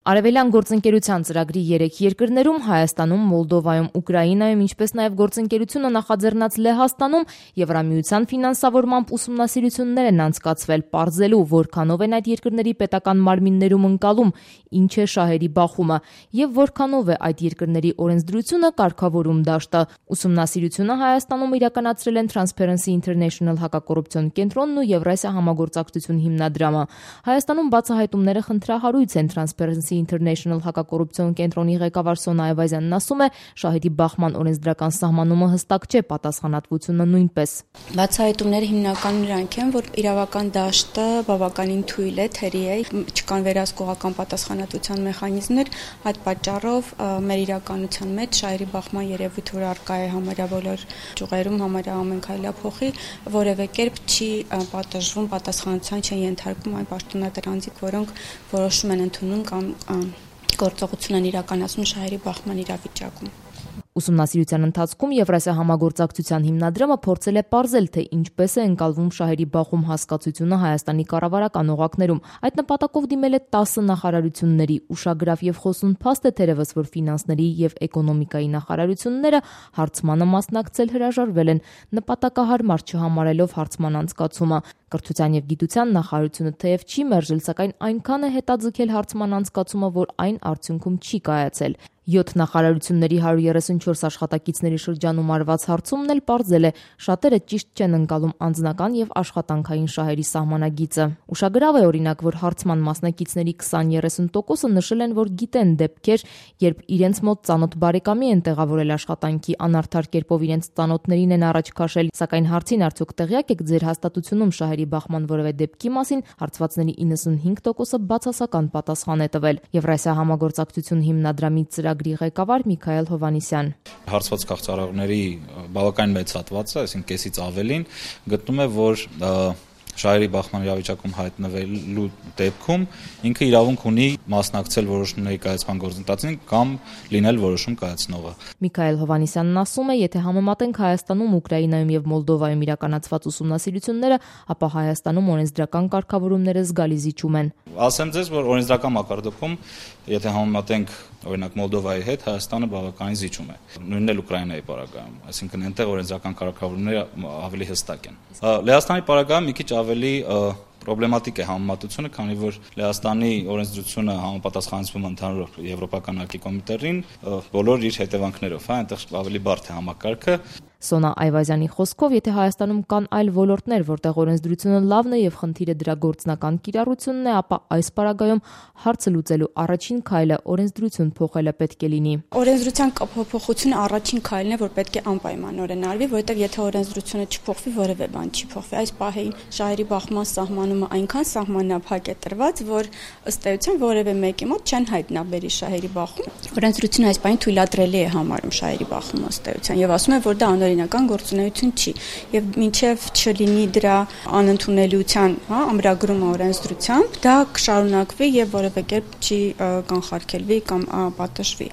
Արևելյան գործընկերության ծրագրի 3 երկրներում Հայաստանում, Մոլդովայում, Ուկրաինայում, ինչպես նաև գործընկերությունը նախաձեռնած Լեհաստանում Եվրամիության ֆինանսավորմամբ ուսումնասիրություններ են անցկացվել, պարզելու որքանով են այդ երկրների պետական մարմիններում ընկալում, ինչ է շահերի բախումը եւ որքանով է այդ երկրների օրենսդրությունը կարգավորում դաշտը։ Ուսումնասիրությունը Հայաստանում իրականացրել են Transparency International հակակոռուպցիոն կենտրոնն ու Եվրասիա համագործակցություն հիմնադրամը։ Հայաստանում բացահայտումները խնդրահարույց են Transparency International հակակոռուպցիոն կենտրոնի ղեկավար Սոնա Այվազյանն ասում է, շահերի բախման օրենսդրական սահմանումը հստակ չէ, պատասխանատվությունը նույնպես։ Բացահայտումները հիմնականում նրանք են, որ իրավական դաշտը բավականին թույլ է, թերի է, չկան վերահսկողական պատասխանատվության մեխանիզմներ, այդ պատճառով մեր իրականության մեջ շահերի բախման երևույթ, որ առկա է համարյա բոլոր ճյուղերում, համարյա ամեն քայլափոխի, որևէ կերպ չի պատժվում, պատասխանատվության չեն ենթարկվում այն պաշտոնատար անձիկ, որոնք որոշում են ընդունում կամ գործողություն են իրականացնում շահերի բախման իրավիճակում։ Ուսումնասիրության ընթացքում Եվրասիա համագործակցության հիմնադրամը փորձել է պարզել, թե ինչպես է ընկալվում շահերի բախում հասկացությունը Հայաստանի կառավարական օղակներում։ Այդ նպատակով դիմել է 10 նախարարությունների, ուշագրավ եւ խոսուն փաստ է թերևս, որ ֆինանսների եւ էկոնոմիկայի նախարարությունները հարցմանը մասնակցել հրաժարվել են, նպատակահարմար չհամարելով հարցման անցկացումը։ Կրթության եւ գիտության նախարարությունը թեև չի մերժել, սակայն այնքան է հետաձգել հարցման անցկացումը, որ այն արդյունքում չի կայացել։ 7 նախարարությունների 134 աշխատակիցների շրջանում արված հարցումն էլ պարզել է, շատերը ճիշտ չեն ընկալում անձնական եւ աշխատանքային շահերի սահմանագիծը։ Ուշագրավ է օրինակ, որ հարցման մասնակիցների 20-30%-ը նշել են, որ գիտեն դեպքեր, երբ իրենց մոտ ծանոթ բարեկամի են տեղավորել աշխատանքի, անարդար կերպով իրենց ծանոթներին են առաջ քաշել, սակայն հարցին արդյոք տեղյակ եք ձեր հաստատությունում շահերի բախման որևէ դեպքի մասին, հարցվածների 95%-ը բացասական պատասխան է տվել։ Եվրասիա համագործակցություն հիմնադրամի ծրագրի ղեկավար Միքայել Հովհաննիսյան։ Հարցված քաղցրահարողների բավական մեծ հատվածը, այսինքն կեսից ավելին, գտնում է, որ շահերի բախման իրավիճակում հայտնվելու դեպքում ինքը իրավունք ունի մասնակցել որոշումների կայացման գործընթացին կամ լինել որոշում կայացնողը։ Միքայել Հովհաննիսյանն ասում է, եթե համեմատենք Հայաստանում, Ուկրաինայում եւ Մոլդովայում իրականացված ուսումնասիրությունները, ապա Հայաստանում օրենսդրական կարգավորումները զգալի զիջում են։ Ասեմ ձեզ, որ օրենսդրական մակարդակում, եթե համեմատենք օրինակ Մոլդովայի հետ, Հայաստանը բավականին զիջում է։ Նույնն էլ Ուկրաինայի պարագայում, այսինքն այնտեղ օրենսդրական կարգավորումները ավելի հստակ են։ Լեհաստանի պարագայում մի քիչ ավելի պրոբլեմատիկ է համեմատությունը, քանի որ Լեհաստանի օրենսդրությունը համապատասխանեցվում ընդհանուր եվրոպական ակի կոմիտեին բոլոր իր հետևանքներով, այնտեղ ավելի բարդ է համակարգը։ Սոնա Այվազյանի խոսքով, եթե Հայաստանում կան այլ ոլորտներ, որտեղ օրենսդրությունը լավն է եւ խնդիրը դրա գործնական կիրառությունն է, ապա այս պարագայում հարցը լուծելու առաջին քայլը օրենսդրություն փոխելը պետք է լինի։ Օրենսդրության փոփոխությունը առաջին քայլն է, որ պետք է անպայմանորեն արվի, որովհետեւ եթե օրենսդրությունը չփոխվի, որևէ բան չի փոխվի։ Այս պահին շահերի բախման սահմանումը այնքան սահմանափակ է տրված, որ ըստ էության որևէ մեկի մոտ չեն հայտնաբերի շահերի բախում։ Օրենսդրությունը այս պահին թույլատրելի է համարում շահերի բախումը ըստ էության եւ ասում է, որ դա օրինական գործունեություն չի եւ մինչեւ չլինի դրա անընդունելիության, ամրագրումը օրենսդրությամբ, դա կշարունակվի եւ որևէ կերպ չի կանխարգելվի կամ պատժվի։